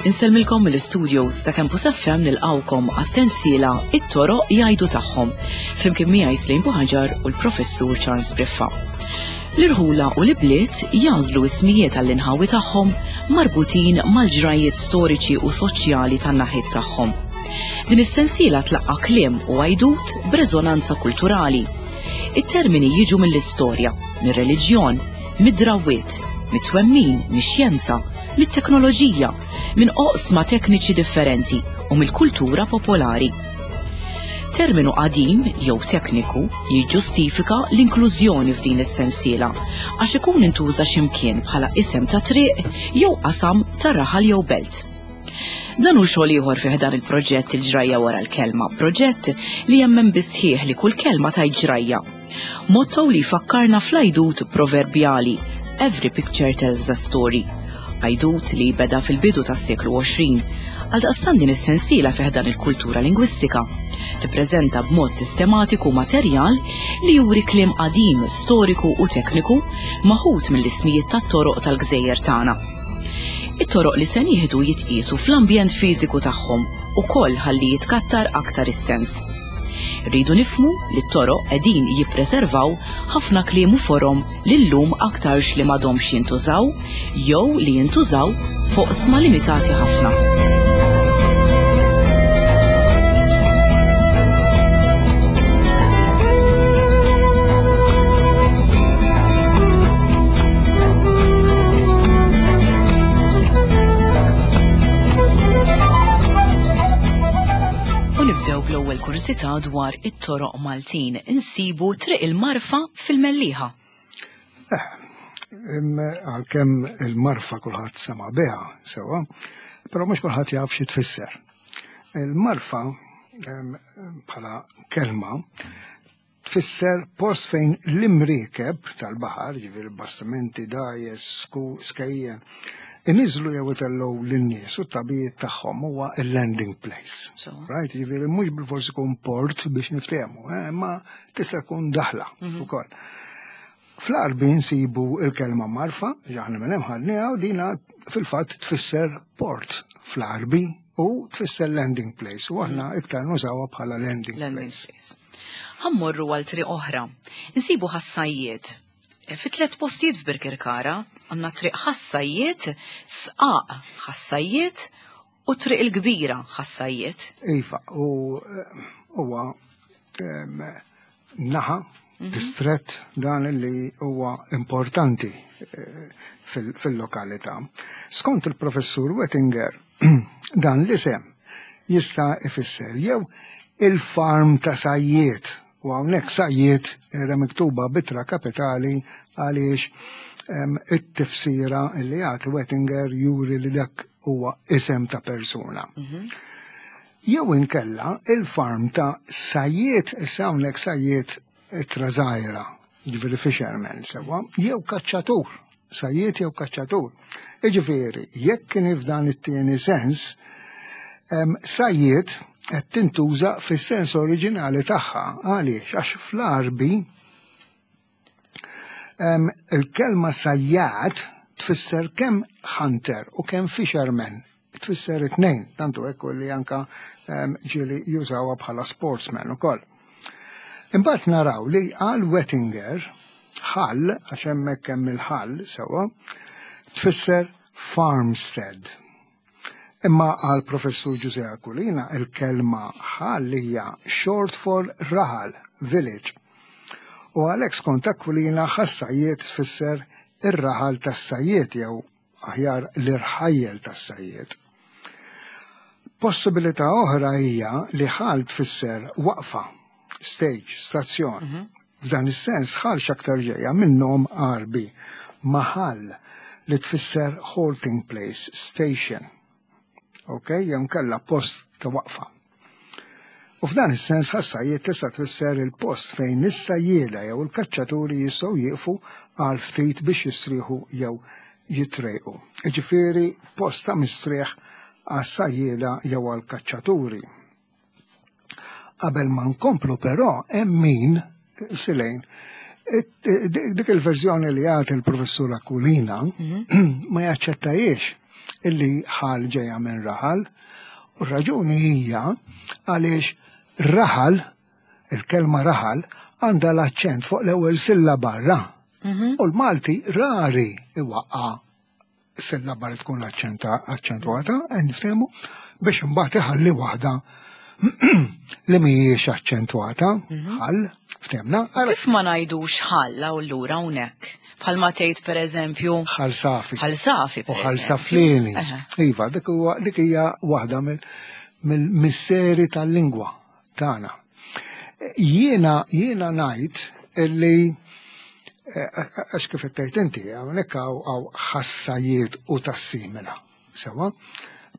Insellmilkom mill-studios ta' Campus FM nilqawkom għas-sensiela It-toroq jgħidu tagħhom flimkien miegħi Slim Buħaġar u l-Professur Charles Briffa. L-irħula u l-ibliet jagħżlu ismijiet għall-inħawi tagħhom marbutin mal-ġrajjiet storiċi u soċjali tan-naħiet tagħhom. Din is-sensiela tlaqqa' kliem u għajdut b'reżonanza kulturali. It-termini jiġu mill-istorja, mir-reliġjon, mid-drawwiet, mit-twemmin, mix-xjenza, mit-teknoloġija, minn oqsma tekniċi differenti u mill-kultura popolari. Terminu qadim jew tekniku jiġġustifika l-inklużjoni f'din is-sensiela għax ikun intuża x'imkien bħala isem ta' triq jew qasam ta' raħal jew belt. Dan hu xogħol ieħor fi ħdan il-proġett Il-Ġrajja Wara l-Kelma, proġett li jemmen bis-sħiħ li kull kelma tgħid ġrajja. Motto li jfakkarna fl-għajdut proverbjali Every picture tells a story. Għajdut li beda fil-bidu tas-seklu 20. Għaldaqstant din is-sensiela fi ħdan il-kultura lingwistika tippreżenta b'mod sistematiku materjal li juri kliem qadim, storiku u tekniku maħud mill-ismijiet tat-toroq tal-gżejjer tagħna. It-toroq li se nieħdu jitqiesu fl-ambjent fiżiku tagħhom ukoll ħalli jitkattar aktar is-sens. Irridu nifhmu li t-toroq qegħdin jippreservaw ħafna kliem u forom li llum aktarx li m'għadhomx jintużaw jew li jintużaw f'oqsma limitati ħafna. U nibdew bl-ewwel kurżità dwar it-toroq Maltin. Insibu Triq il-Marfa fil-Mellieħa. Eh, għalkemm il-marfa kulħadd sema' biha sewwa, però mhux kulħadd jaf xi tfisser. Il-marfa bħala kelma tfisser post fejn l-imriekeb tal-baħar, ġifieri bastimenti, dgħajjes, skejjen, iniżlu jew itellgħu lin-nies u t-tabijiet tagħhom huwa il-landing place. Right, ġifieri mhux bilfors ikun port biex niftehmu, eh, imma tista' tkun daħla mhm. ukoll. Fl-Għarbi nsibu il-kelma marfa, aħna minn hemm ħadniha u dina fil-fatt tfisser port fl-Għarbi u tfisser landing place u aħna iktar nużawha bħala landing, landing place. place. Ħa mmorru għal triq oħra. Insibu ħassajjiet. E, fi tlet postijiet f'Birkirkara għandna triq ħassajjiet, sqaq ħassajjiet u triq il-kbira ħassajjiet. Iva, u eh, huwa naħa, mhm. distret dan li huwa importanti eh, fil-lokalità. Skont il-professur Wettinger, dan l-isem jista' ifisser jew il-farm ta' sajjiet u hawnhekk sajjiet qiegħda miktuba bitra kapitali għaliex it-tifsira li jagħti Wettinger juri li dak huwa isem ta' persuna. Mhm. Jew inkella il-farm ta' sajjiet, issa hawnhekk sajjiet ittra żgħira, jiġifieri fisherman sewwa, jew kaċċatur, sajjiet jew kaċċatur. Jiġifieri, jekk kien f'dan it-tieni sens, sajjiet qed tintuża fis-sens oriġinali tagħha. Għaliex? Għax fl-Għarbi Il-kelma sajjad tfisser kemm hunter u kemm fisherman. Tfisser it-tnejn, tantu hekk li anka ġieli jużawha bħala sportsman ukoll. Imbagħad naraw li għal Wettinger ħall, għax hemmhekk hemm il-ħall sewwa, tfisser farmstead. Imma għal Professur Ġużè Aquilina il-kelma ħal hija short for raħal, village. U għalhekk skont Aquilina ħas-sajjied tfisser ir-raħal tas-sajjied jew aħjar l-irħajjel tas-sajjied. Possibilità oħra hija li ħal tfisser waqfa, stage, stazzjon. Mhm. F'dan is-sens ħal x'aktar ġejja minn nom Għarbi, maħall, li tfisser halting place, station. Ok, jew nkella post ta' waqfa. U f'dan is-sens ħas-sajjied tista' tfisser il-post fejn is-sajjieda jew il-kaċċaturi jistgħu jieqfu għal ftit biex jistrieħu jew jitrejqu. Jiġifieri post ta' mistrieħ għas-sajjieda jew għall-kaċċaturi. Qabel ma nkomplu però hemm min Silejn, dik il-verżjoni li għat il-professur Aquilina ma jaċċettajiex illi ħal ġeja minn raħal u raġuni hija għaliex raħal, il-kelma raħal, għandha l-aċċent fuq l-ewwel sillaba ra. U l-Malti rari iwaqqa sillaba li tkun aċċentwata, nifhemu, biex imbagħad iħalli waħda li mhijiex aċċentwata, mhm. ħall, ftehmna. Kif ma ngħidux ħall hawn lura hawnhekk? Bħalma tgħid pereżempju. Ħal safi. Ħal safi. U ħal saflini. Iva, dik hija waħda mill-misteri tal-lingwa tagħna. Jiena jiena ngħid illi eh, għax kif qed inti hawnhekk hawn ħassajiet u tassimila. Sewa,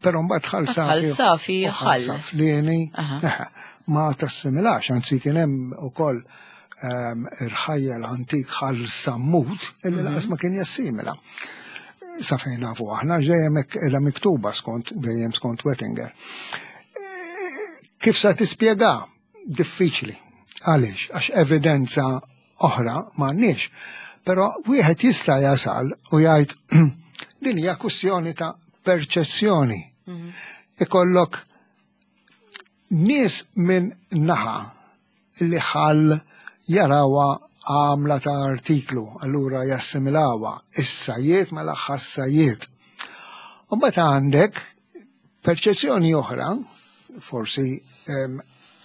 però mbagħad ħal safi. Safi ħal saflieni ma tassimilax, anzi kien hemm ukoll ehm, irħajja l-antik ħal sammut illi mhm. laqas ma kien jassimila. Sa fejn nafu aħna dejjem hekk qiegħda miktuba skont dejjem skont Wettinger. Kif sa tispjega? Diffiċli. Għaliex? Għax evidenza oħra m'għandniex. Però wieħed jista' jasal u jgħid din hija kwistjoni ta' perċezzjoni. Mhm. Ikollok nies minn naħa li ħall jarawha għamla ta' artiklu, allura jassimilawha is-sajjiet mela ħassajiet. U mbagħad għandek perċezzjoni oħra, forsi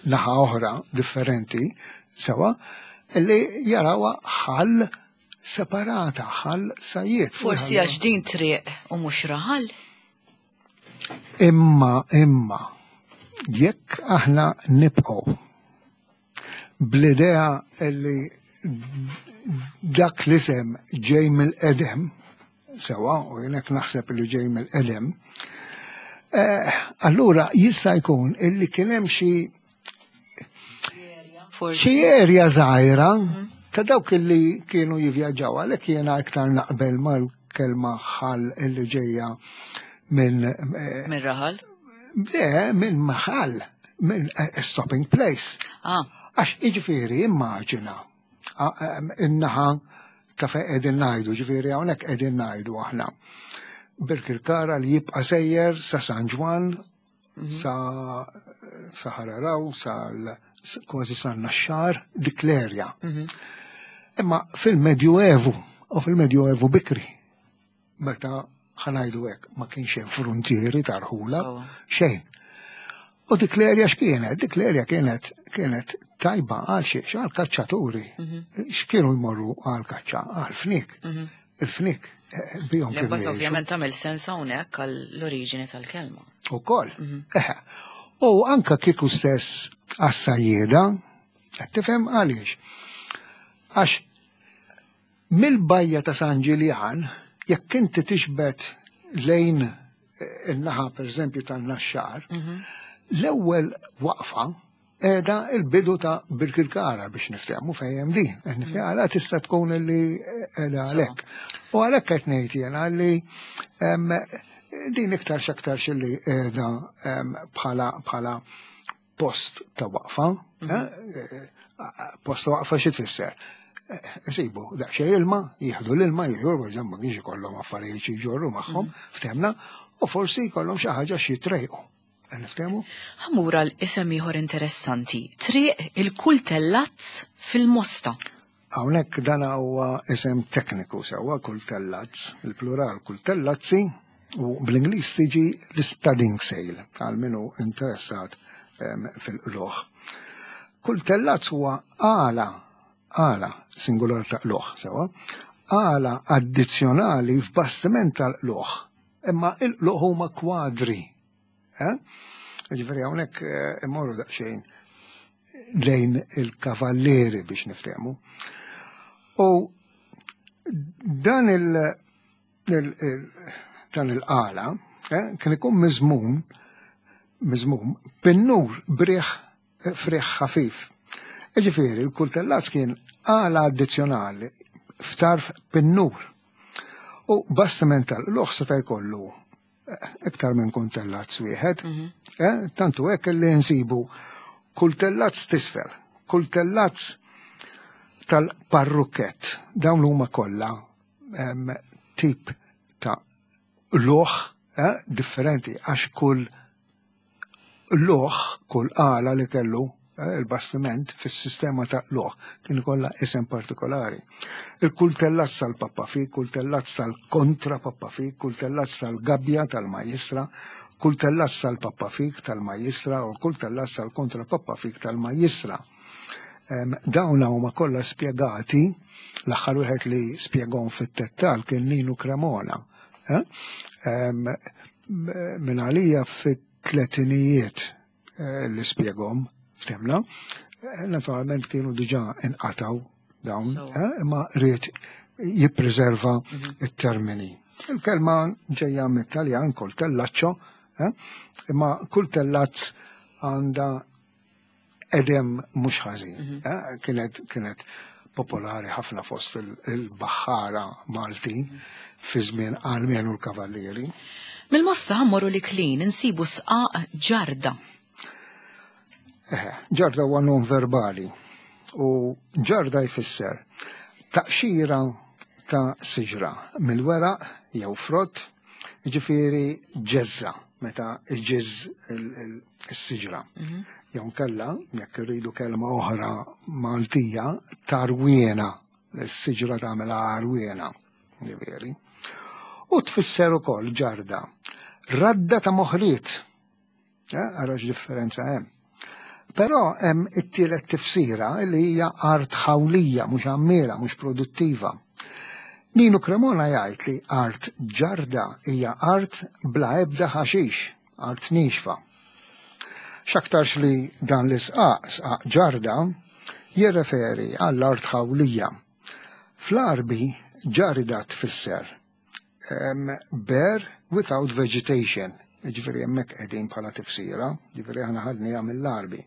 naħa oħra differenti, sewa, li jarawha ħall separata, ħall sajjiet. Forsi għax din triq u mhux raħal. Imma, imma, jekk aħna nibqgħu bl-idea li dak l-isem ġej mill-qedem, sewa, u jenek naħseb li ġej mill-qedem, eh, allura jista' jkun illi kien hemm xi xi erja żgħira mhm. ta' dawk illi kienu jivvjaġġaw għalhekk jiena iktar naqbel mal-kelma ħal illi ġejja minn eh, minn raħal? Le, minn maħal minn eh, stopping place. Ah. Għax iġifieri immaġina in-naħa ta' fejn qegħdin ngħidu, ġifieri hawnhekk qegħdin ngħidu aħna. Birkirkara li jibqa' sejjer sa San Ġwan, mhm. sa sa Ħararaw, sa kważi sa Naxxar, dik l-erja. Mhm. Imma fil-Medjuevu, u fil-Medjuevu bikri, meta ħanajdu hekk ma kienx hemm fruntieri tarħula, xejn. U dik l-erja x'kienet? Dik l-erja kienet kienet tajba għal xiex, għal kaċċaturi. Mhm. X'kienu jmorru għal kaċċa? Għal fnik. Mhm. Il-fnik eh, bihom. L-imbagħad ovvjament tagħmel sens hawnhekk għall-oriġini tal-kelma. Ukoll. Mhm. U anka kieku stess għas-sajjieda, qed tifhem għaliex. Għax Mill-bajja ta' San Ġiljan, jekk inti tixbet lejn eh, in-naħa pereżempju tan-Naxxar, mhm. l-ewwel waqfa qiegħda il-bidu ta' Birkirkara biex niftehmu fejn hemm din. Qed niftehmu mhm. għala tista' tkun li qiegħda għalhekk. U għalhekk qed ngħid jiena li din iktar x'aktar li qiegħda bħala bħala post ta' waqfa, mhm. eh, eh, post ta' waqfa xi tfisser? Eh, isibu daqsxejn ilma, jieħdu l-ilma, jieħdu ma kienx ikollhom affarijiet xi jġorru magħhom, mhm. ftemna, u forsi jkollhom xi ħaġa xi trejqu. Niftehmu? Ħamura l-isem ieħor interessanti, triq il-kultellazz fil-Mosta. Hawnhekk dan huwa isem tekniku sewwa kultellazz, il-plural kultellazzi u bl-Ingliż tiġi l-studding sail għal min hu interessat fil-qlugħ. Kultellazz huwa għala, għala, singular ta' qlugħ sewwa, għala addizzjonali f'bastiment tal-qlugħ, imma il-qlugħ huma kwadri. Eh? Ġifieri hawnhekk eh, immorru daqsxejn lejn il-kavallieri biex niftehmu. U dan il, il, il dan il-qala eh, kien ikun miżmum miżmum bin-nur briħ eh, friħ ħafif. Ġifieri l-kultellazz kien għala addizzjonali f'tarf bin-nur. U bastiment tal-luħ seta' jkollu iktar minn kuntellazz wieħed. Mhm. Eh, tantu hekk li nsibu Kultellazz t'isfel, kultellazz tal-parrukkett, dawn huma kollha tip ta' loħ eh, differenti għax kull loħ, kull għala li kellu eh, il-bastiment fis-sistema ta' loħ kien ikollha isem partikolari. Il-kultellazz tal-Pappafi, kultellazz tal-kontra Pappafi, kultellazz tal-gabbja tal-majjistra, kultellazz tal-Pappafik tal-majjistra u kultellazz tal-kontra Pappafik tal-majjistra. Dawn huma kollha spjegati, l-aħħar wieħed li spjegahom fit-tettal kien Ninu Cremona. Eh? Min għalija fit-tletinijiet eh, li spjegahom ftemna. Eh, naturalment kienu diġà inqataw dawn, imma ried jippreserva mhm. it-termini. Il-kelma ġejja mit-Taljan coltellaccio, imma kultellazz għandha edem mhux ħażin. Mhm. Eh, kienet kienet popolari ħafna fost il-baħħara Maltin mhm. fi żmien Almenu l-Kavallieri. Mill-mossa mmorru li klin insibu sqaq ġarda. Eh, ġarda huwa non verbali u ġarda jfisser taqxira ta' siġra mill-weraq jew frott, ġifieri ġeżża meta iġiż is-siġra. Mhm. Jew kella, jekk irridu kelma oħra Maltija, tarwiena, is-siġra tagħmel arwiena, ġifieri. U tfisser ukoll ġarda. Radda ta' moħriet. Eh, ara x'differenza hemm. Però hemm it-tielet tifsira li hija art ħawlija, mhux għammiela, mhux produttiva. Ninu Cremona jgħid li art ġarda hija art bla ebda ħaxix, art niexfa. X'aktarx li dan l-isqaq, sqaq ġarda, jirreferi għall-art ħawlija. Fl-Għarbi ġarida tfisser bare without vegetation, ġifieri hemmhekk qegħdin bħala tifsira, ġifieri aħna ħadniha mill-Għarbi.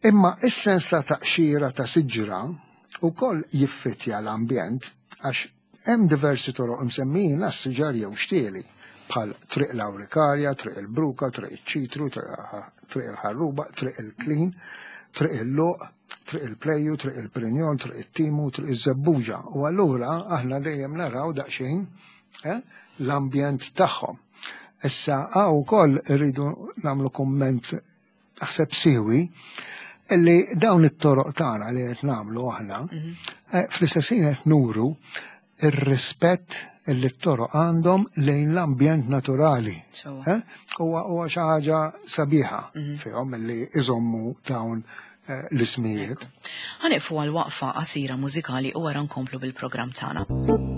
Imma is-sens ta' taqxira ta' siġra wkoll jiffitja l-ambjent għax hemm diversi toroq imsemmijin għas-siġar jew xtieli bħal Triq l-Awrikarja, Triq il-Bruka, Triq iċ-Ċitru, Triq il-Ħarruba, Triq il-Klin, Triq il-Luq, Triq il-Pleju, Triq il-Prinjol, Triq it-Timu, Triq iż-Żebbuġa. U allura aħna dejjem naraw daqsxejn eh, l-ambjent tagħhom. Issa hawn ukoll irridu nagħmlu kumment naħseb siwi illi dawn it-toroq tagħna li qed nagħmlu aħna mhm. eh, fl-istess ħin qed nuru ir-rispett illi t-toroq għandhom lejn l-ambjent naturali. Eh? Huwa xi ħaġa sabiħa mhm. fihom illi iżommu dawn eh, l-ismijiet. Ħaniqfu għal waqfa qasira mużikali u wara nkomplu bil-programm tagħna.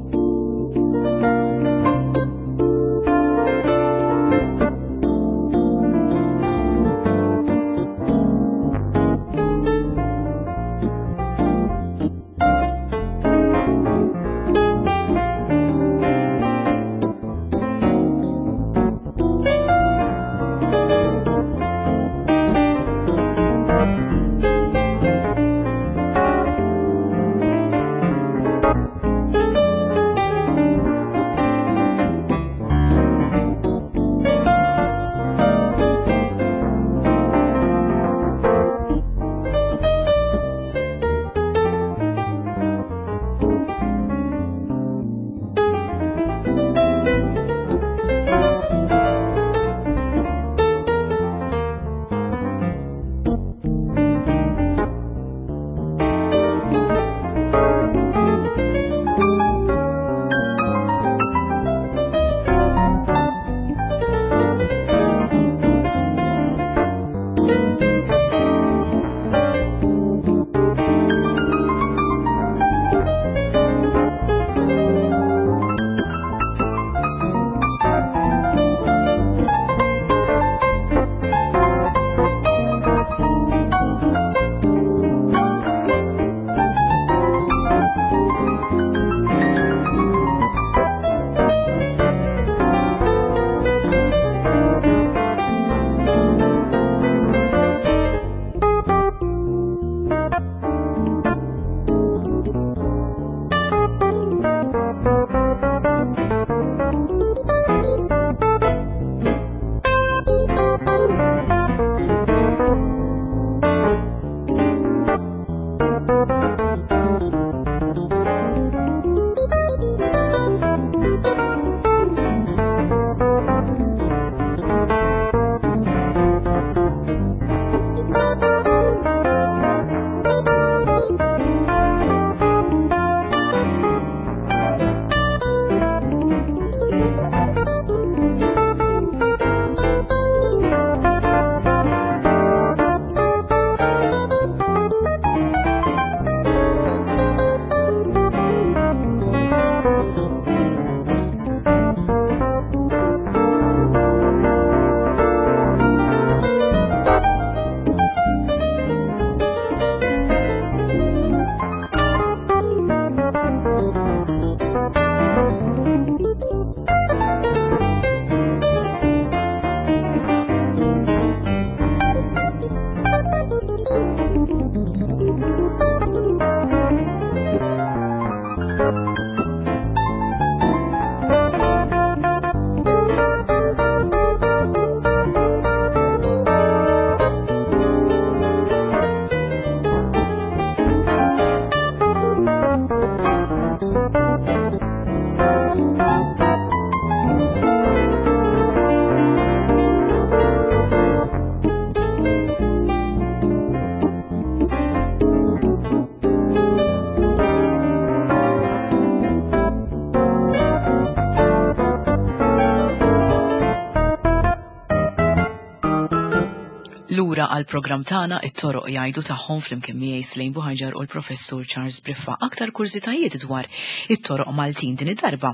Lura għal programm tagħna it-toroq jgħidu tagħhom flimkien miegħi Slejn Buħaġar u l-Professur Charles Briffa. Aktar kurżitajiet dwar it-toroq Maltin din id-darba.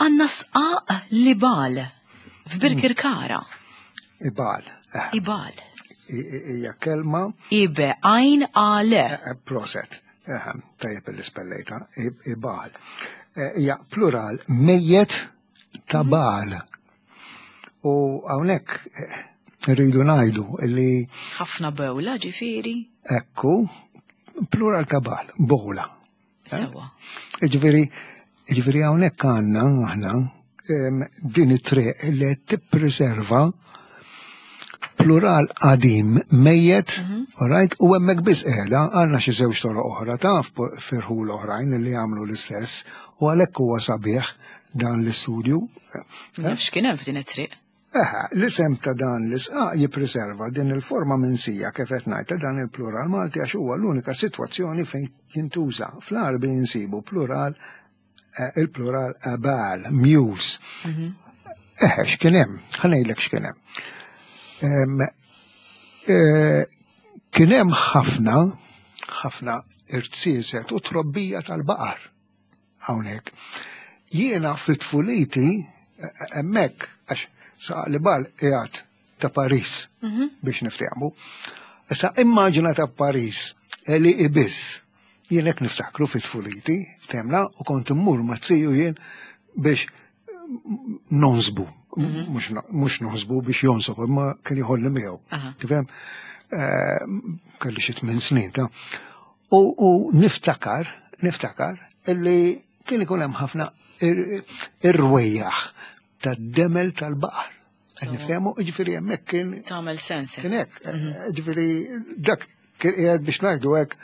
Għandna sqaq libal f'Birkirkara. Ibal. Eh. Ibal. Hija kelma. Ibe għajn għale. Eh, eh, proset. Tajjeb l-ispellejta. Ibal. Hija plural mejjet ta' mhm. bal. U hawnhekk rridu ngħidu li ħafna bewla ġifieri. Ekku, plural ta' bal, bowla. Sewa. Ġifieri, ġifieri hawnhekk għandna aħna din it-triq li tippreserva plural qadim mejjet, mhm. alright, u hemmhekk biss qiegħda għandna xi żewġ toroq oħra taf firħul oħrajn li jagħmlu l-istess u għalhekk huwa sabiħ dan l-istudju. Nafx kien hemm f'din it-triq. Eħe, l-isem ta' dan l-isqaq jippriserva din il-forma minsija kif qed ngħid ta' dan il-plural Malti għax huwa l-unika sitwazzjoni fejn jintuża. Fl-Għarbi insibu plural eh, il-plural abal, muse. Mhm. Eħe, x'kien hemm? Ħa ngħidlek x'kien hemm. Eh, kien hemm ħafna, ħafna irtsiset u trobbija tal-baqar. hawnhekk. Jiena fit-tfuliti hemmhekk għax saqaq li bal qiegħed ta' Paris mhm. biex niftehmu. Issa immaġina ta' Paris li ibiss. Jien hekk niftakru fit-tfuliti, temna, u kont immur ma' ziju jien biex nonsbu, mhm. mhux nonsbu biex jonsob, imma kien jħolli miegħu. Tifhem? Eh, kelli xi tmien snin ta' U niftakar, niftakar, illi kien ikun hemm ħafna irwejjaħ tad-demel tal-baqar. Nifhemu, ġifieri hemmhekk kien. Tagħmel sens. Kien hekk, mhm. ġifieri dak kien qiegħed biex ngħidu hekk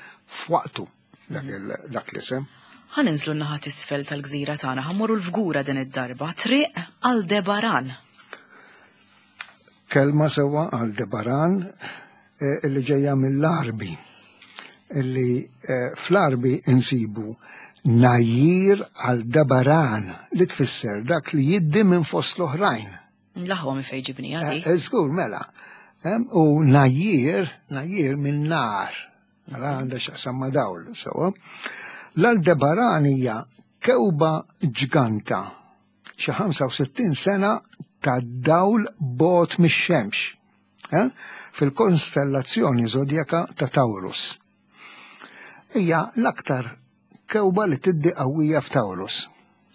f'waqtu mhm. dak l-isem. Ħa ninżlu n-naħa t'isfel tal-gżira tagħna, ħa mmorru l-Fgura din id-darba, triq Aldebaran. Kelma sewwa Aldebaran eh, illi ġejja mill-Għarbi, illi eh, fl-Għarbi insibu najjir Aldebaran li tfisser dak li jiddi minn fost l-oħrajn. L-aħwa minn fejn ġibni għadi. Eh, żgur, mela. U najjir, najjir minn nar. Mela għandha x'taqsam ma' dawl, sewwa. L-Aldebaran hija kewba ġganta xi 65 sena ta' dawl bot mix-xemx eh, fil-konstellazzjoni zodjaka ta' Taurus. Hija l-aktar kewba li tiddi qawwija f'Taurus.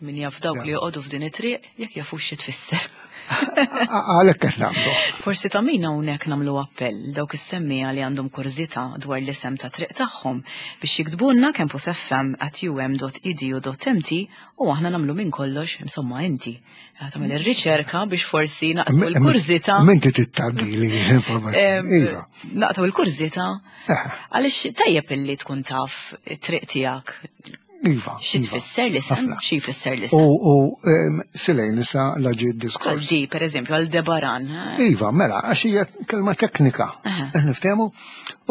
Min jaf dawk li joqogħdu f'din it-triq jekk jafux xi tfisser. Għalhekk qed nagħmlu. Forsi ta' min hawnhekk nagħmlu appell dawk is-semmiegħa li għandhom kurżità dwar l-isem ta' triq tagħhom biex jiktbulna campusfm@um.edu.mt u aħna nagħmlu minn kollox, insomma inti tagħmel ir-riċerka biex forsi naqtgħu l-kurżità. Minti tittagili l-informazzjoni. Iva. Naqtgħu l-kurżità eh. għaliex tajjeb illi tkun taf it-triq tiegħek Iva. Xi iva. tfisser l-isem? Xi jfisser l-isem? U silejn issa laġi diskors. Di, per eżempju, għal debaran. Eh? Iva, mela, għax hija kelma teknika. Niftehmu?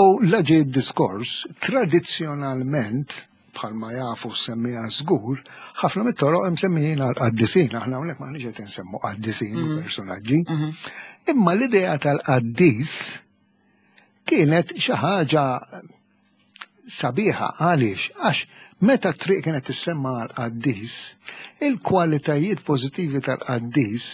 U laġi diskors tradizzjonalment bħalma jafu semmija żgur, ħafna mit-toroq imsemmijin għal qaddisin, aħna hawnhekk m'aħniex qed insemmu qaddisin mm. personaġġi. Mm-hmm. Imma l-idea tal-qaddis kienet xi ħaġa sabiħa għaliex għax meta t-triq kienet tissemma għal qaddis, il-kwalitajiet pożittivi tal-qaddis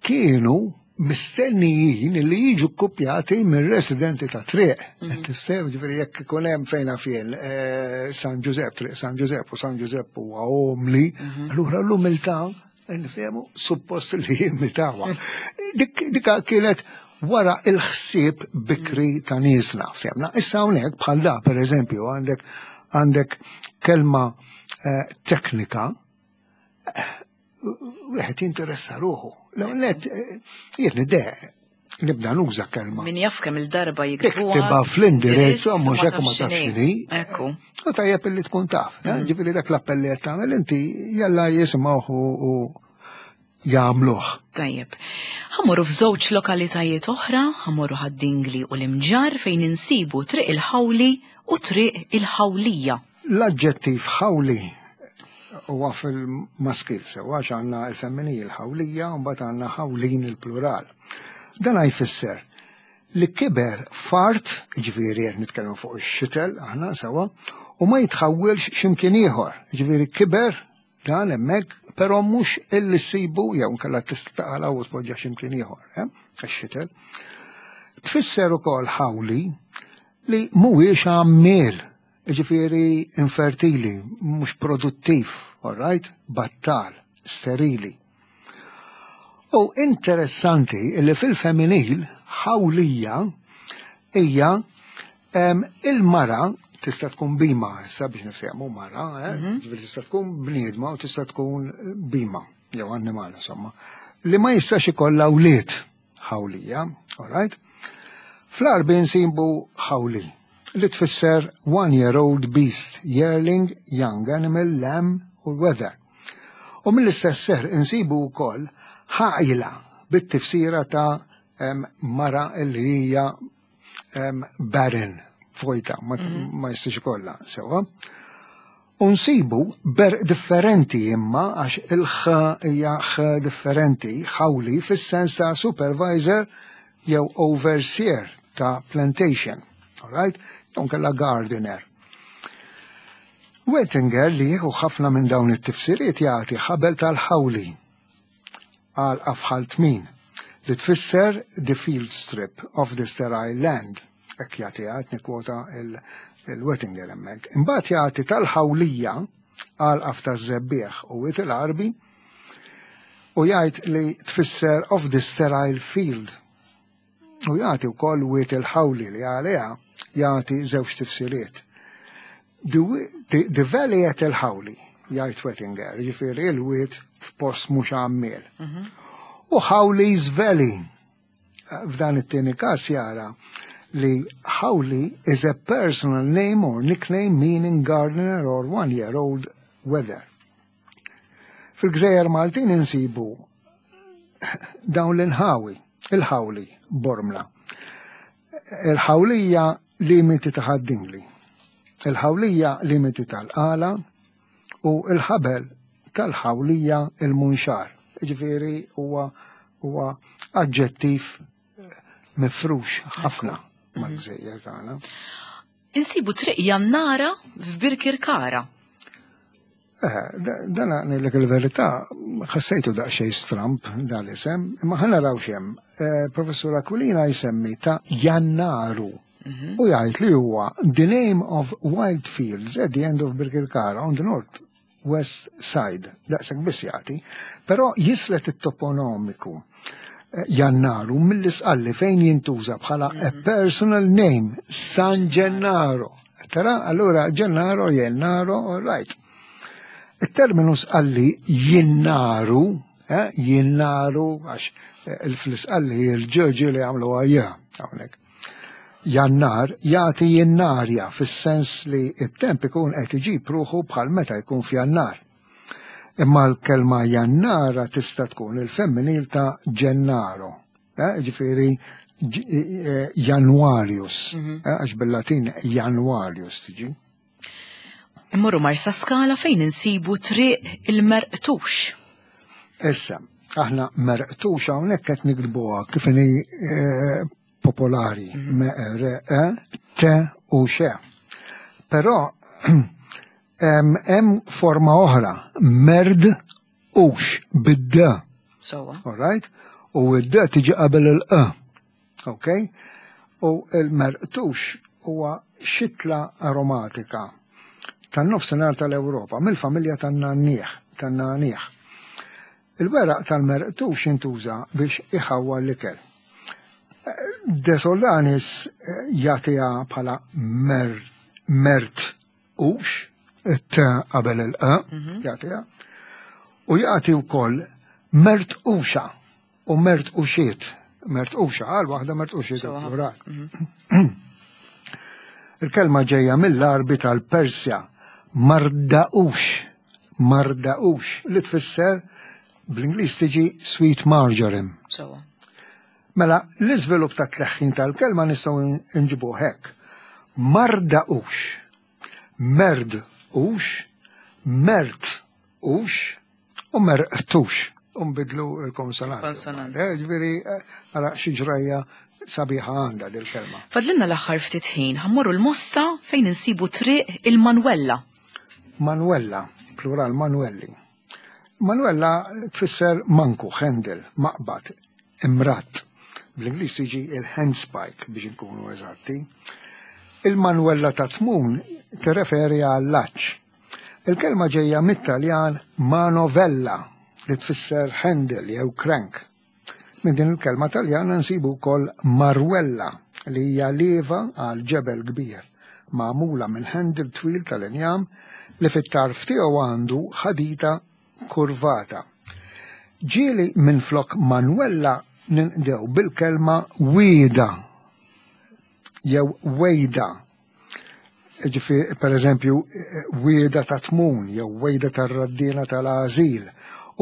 kienu mistennijin li jiġu kkupjati minn residenti ta' triq. Mhm. Tifhem, ġifieri jekk ikun hemm fejn fien eh, San Ġużepp, triq San Ġużepp u San Ġużepp huwa omli, mhm. allura l-umiltà Nifhemu suppost li jimmitawha. Dika kienet wara il-ħsieb bikri ta' niesna, fehmna. Issa hawnhekk bħal da pereżempju għandek għandek kelma eh, teknika eh, wieħed jinteressa ruħu. L-ewwel eh, jien niddeq nibda nuża kelma. Min jaf kemm il-darba jiktbuha. Iktibha fl-indirizz u mhux hekk ma tafx x'inhi. Ekku. U tajjeb illi tkun taf. Eh? Mm. Ġifieri dak l-appell li qed tagħmel inti jalla jisimgħuh u jagħmluh. Tajjeb. Ħammorru f'żewġ lokalitajiet oħra, ħammorru ħad-Dingli u l-Imġar fejn insibu Triq il-Ħawli u Triq il-Ħawlija. L-aġġettiv ħawli huwa fil-maskil sewwa għax għandna l-femminil ħawlija u mbagħad għandna ħawlin il-plural. Dan jfisser li kiber fart, ġifieri qed nitkellmu fuq ix-xitel aħna sewwa, u ma jitħawwilx x'imkien ieħor, ġifieri kiber dan hemmhekk, però mhux illi ssibu jew nkella tista' taqala u tpoġġa x'imkien ieħor, eh, ix-xitel. Tfisser ukoll ħawli li mhuwiex għammiel Jiġifieri infertili, mhux produttiv, all right? Battal, sterili. U interessanti li fil-femminil ħawlija hija il-mara tista' tkun bima issa biex niftehmu mara, eh? Mhm. Ġifieri tista' tkun bniedma u tista' tkun bima jew annimal insomma, li ma jistax ikollha wlied. ħawlija, all right? Fl-Għarbi nsibu ħawli li tfisser one year old beast, yearling, young animal, lamb u wether. U mill-istess seħr insibu wkoll ħajla bit-tifsira ta' mara li hija barren, vojta, ma mhm. jistax ikollha sewwa. U nsibu berq differenti imma għax il-ħ hija ħ differenti, ħawli fis-sens ta' supervisor jew overseer ta' plantation. Alright? Jew kella gardener. Wettinger li jieħu ħafna minn dawn it-tifsiriet jagħti ħabel tal-ħawli għal afħal tmin li tfisser the field strip of the sterile land. Hekk jagħtiha qed nikkwota il-Wettinger hemmhekk. Imbagħad jagħti tal-ħawlija għal taż-żebbieħ u wit il-Għarbi u jgħid li tfisser of the sterile field. U jagħti wkoll wiet il-ħawli li għaliha jagħti żewġ tifsiriet. The, the valley at il-ħawli, jgħid Wettinger, ġifieri il-wiet f'post mhux għammiel. Mhm. U Ħawli's Valley, F'dan it-tieni każ jara li Howley is a personal name or nickname meaning gardener or one year old weather. Fil-gżejjer Maltin insibu dawn l-inħawi, il-ħawli, Bormla. Il-ħawlija limiti ta' ħaddingli. Il-ħawlija limiti tal-qala, u l-ħabel tal-ħawlija il-munxar. Ġifieri huwa huwa aġġettiv eh, mifrux ħafna mal-gżejjer tagħna. Insibu triq Jannara f'Birkirkara. Eh, dan ngħidlek il-verità, ħassejtu daqsxejn stramp dan l-isem, imma ħa naraw x'hemm. Eh, Professur Aquilina jsemmi ta' Jannaru. Mhm. U jgħid li huwa the name of wild fields at the end of Birkirkara on the north. west side, daqshekk biss jagħti, però jislet it-toponomiku eh, Jannaru mill-isqalli fejn jintuża bħala a mhm. personal name San Gennaro. Tara, allura Gennaro, Jennaro, all right. Il-terminu sqalli jinnaru, eh, jinnaru, għax eh, il-fl-isqalli il-ġoġi li għamlu għajja, hawnhekk. Jannar jagħti jinnarja fis-sens li t-temp ikun qed iġib ruħu bħal meta jkun f'Jannar. Imma l-kelma Jannara tista' tkun il-femminil ta' Gennaro, eh, ġifieri eh, Januarius, mhm. eh, għax bil-Latin Januarius tiġi. Immorru Marsa Skala fejn insibu triq il-Merqtux. Issa, aħna Merqtux hawnhekk qed nikdbuha kif inhi eh, popolari, mhm. me r e t u xe. Però hemm forma oħra, merd ux bid-d. Sowa. All right? U id-d tiġi qabel il-e. Ok? U l-merqtux huwa xitla aromatika tan-nofsinhar tal-Ewropa mill-familja tan-nannieħ, tan-nagħniegħ. Il-weraq tal-merqtux jintuża biex iħawwar l-ikel. De Soldanis eh, jagħtiha bħala mer, mert ux, t qabel il-e, mhm. jagħtiha, u jagħti wkoll mert uxa U mert u xiet. Mert u xaqal waħda mert u xiet plural. Mhm. Il-kelma ġejja mill-Arbi tal-Persja, mardaqux, mardaqux, li tfisser bl-Ingliż tiġi sweet marjoram. Mela, l-iżvilupp ta' tleħħin tal-kelma nistgħu nġibuh hekk. Mardaqux, merd ux, mert ux, U merqtux, u nbidlu l-konsonanti. Konsonanti. Eh, ġifieri, eh, ara xi ġrajja sabiħa għandha dil-kelma. Fadlinna l-aħħar ftit ħin, ħammorru l-Mosta fejn insibu triq il-Manwella. Manwella, plural Manwelli. Manwella tfisser manku, handle, maqbad, imrat. Bl-Ingliż tiġi il-handspike biex inkunu eżatti. Il-Manwella ta' tmun tirreferi għall-laċ Il-kelma ġejja mit-Taljan manovella li tfisser handle jew crank. Minn din il-kelma Taljana nsibu wkoll marwella li hija lieva għal ġebel kbir magħmula minn handle twil tal-injam li fit-tarf tiegħu għandu ħadita kurvata. Ġieli minflok manwella ninqdew bil-kelma wieda jew wejda Ġifieri, per eżempju, wieda ta' tmun jew wejda tar-raddiena tal-għażil.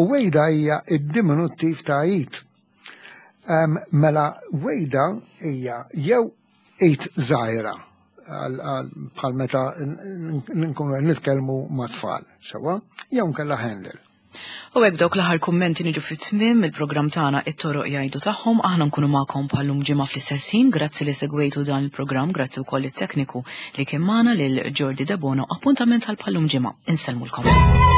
U wejda hija id-diminuttiv ta' id. Mela wejda hija jew id żgħira bħal meta nkunu nitkellmu ma' tfal, sewa, jew nkella handle. U hekk dawk l-aħħar kummenti niġu fit-tmiem il-programm tagħna it-toroq jgħidu tagħhom aħna nkunu magħkom bħallum ġimgħa fl-istess ħin grazzi li segwejtu dan il-programm grazzi wkoll it-tekniku li kien magħna lil Jordi Debono appuntament għal bħallum ġimgħa. Insellmulkom.